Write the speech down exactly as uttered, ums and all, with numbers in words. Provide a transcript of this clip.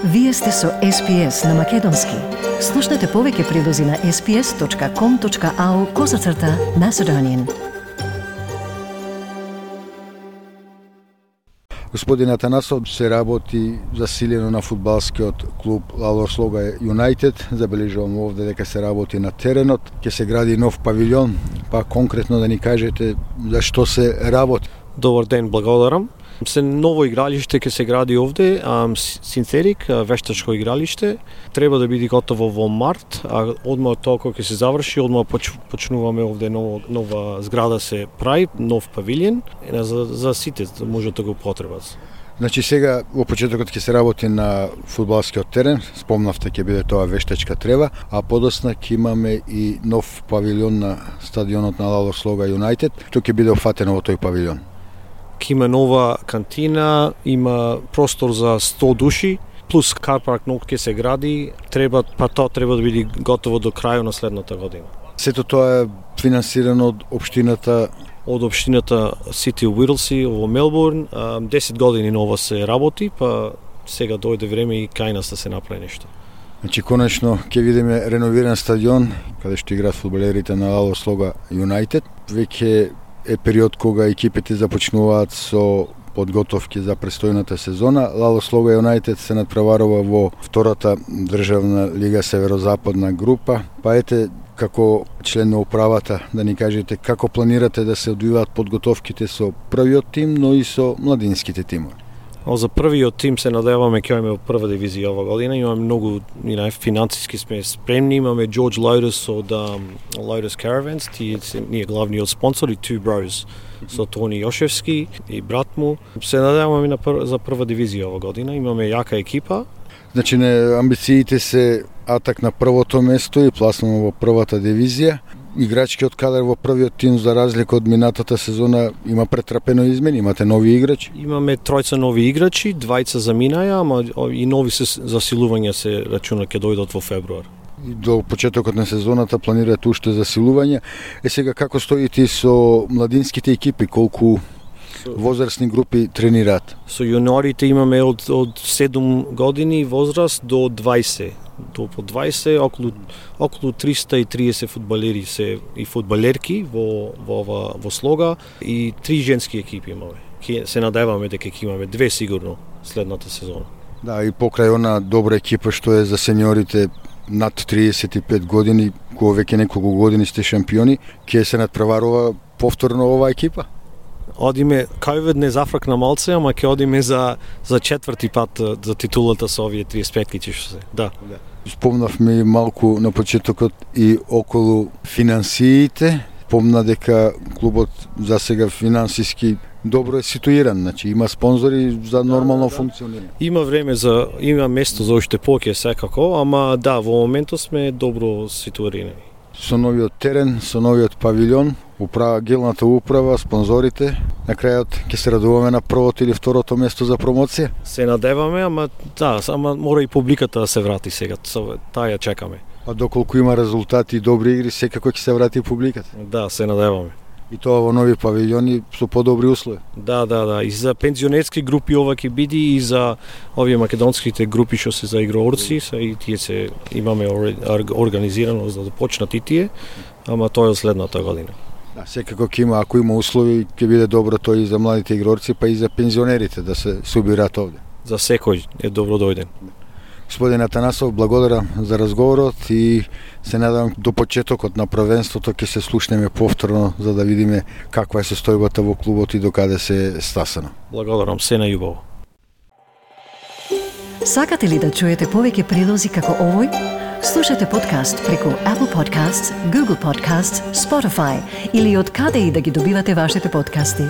Вие сте со Ес Пи Ес на Македонски. Слушнете повеќе прилози на ес пи ес точка ком точка ау козацрта Macedonian. Господин Атанасов се работи засилено на фудбалскиот клуб Лало Слога Юнайтед. Забележувам овде дека се работи на теренот. Ќе се гради нов павилјон, па конкретно да ни кажете за што се работи. Добар ден, благодарам. Се ново игралиште ќе се гради овде, синтетик, вештачко игралиште. Треба да биде готово во март, а одма од тоа кога ќе се заврши, одма поч, почнуваме овде нова, нова зграда се прави, нов павилјон за, за сите може да го потребат. Значи сега во почетокот ќе се работи на фудбалскиот терен, спомнавте ќе биде тоа вештачка трева, а подосна ќе имаме и нов павилјон на стадионот на Лало Слога Юнайтед, тој ќе биде офатено во тој павилјон. Има нова кантина, има простор за сто души, плюс карпарк нов ќе се гради, треба, па тоа треба да биде готово до крајот на следната година. Сето тоа е финансирано од општината од општината City of Whittlesea во Мелбурн. десет години нова се работи, па сега дојде време и кај нас да се направи нешто. Значи конечно ќе видиме реновиран стадион каде што играат фудбалерите на Лало Слога Юнайтед. Веќе е период кога екипите започнуваат со подготовки за престојната сезона. Лало Слога Юнайтед се надпреварува во втората државна лига северозападна група. Па ете, како член на управата, да ни кажете како планирате да се одвиваат подготовките со првиот тим, но и со младинските тимови? За првиот тим се надеваме ќе имаме во прва дивизија ова година. Имаме многу и нај финансиски сме спремни. Имаме George Lotus од um, Lotus Caravans, тие се ние главниот спонсор и Two Bros со Тони Јошевски и брат му. Се надеваме на пр... за прва дивизија ова година. Имаме јака екипа. Значи не амбициите се атак на првото место и пласуваме во првата дивизија. Играчкиот кадар во првиот тим за разлика од минатата сезона има претрпено измени, имате нови играчи? Имаме тројца нови играчи, двајца заминаја, ама и нови се засилувања се рачуна ќе дојдат во февруар. И до почетокот на сезоната планирате уште засилување. Е сега како стоите со младинските екипи, колку возрастни групи тренираат? Со јуниорите имаме од од седум години возраст до двајсет. До по двајсет, околу околу триста и триесет фудбалери се и фудбалерки во во во, во Слога и три женски екипи имаме. Ке се надеваме дека ќе имаме две сигурно следната сезона. Да, и покрај она добра екипа што е за сениорите над триесет и пет години, кога веќе неколку години сте шампиони, ќе се надпреварува повторно оваа екипа? Одиме, ковид не зафракна малце, ама ќе одиме за за четврти пат за титулата со овие триесет пет што се. Да. Да. Спомнавме малку на почетокот и околу финансиите. Помна дека клубот за сега финансиски добро е ситуиран, значи има спонзори за нормално да, да, функционирање. Има време за има место за уште повеќе секако, ама да, во моментот сме добро ситуирани. Со новиот терен, со новиот павилјон, управа гилната управа, спонзорите, на крајот ќе се радуваме на првото или второто место за промоција? Се надеваме, ама да, ама мора и публиката да се врати сега, таа ја чекаме. А доколку има резултати и добри игри, секако ќе се врати публиката? Да, се надеваме. И тоа во нови павилјони со подобри услови? Да, да, да, и за пензионерски групи ова ќе биде и за овие македонските групи што се за играорци, се и тие се имаме организирано за да почнат и тие, ама тоа е следната година. Да, секако ќе има, ако има услови, ќе биде добро тоа и за младите игрорци, па и за пензионерите да се собираат овде. За секој е добро дојден. Господин Атанасов, благодарам за разговорот и се надевам до почетокот на првенството ќе се слушнеме повторно за да видиме каква е состојбата во клубот и докаде се стасано. Благодарам, се најубаво. Сакате ли да чуете повеќе прилози како овој? Слушате подкаст преку Apple Podcasts, Google Podcasts, Spotify или од каде и да ги добивате вашите подкасти.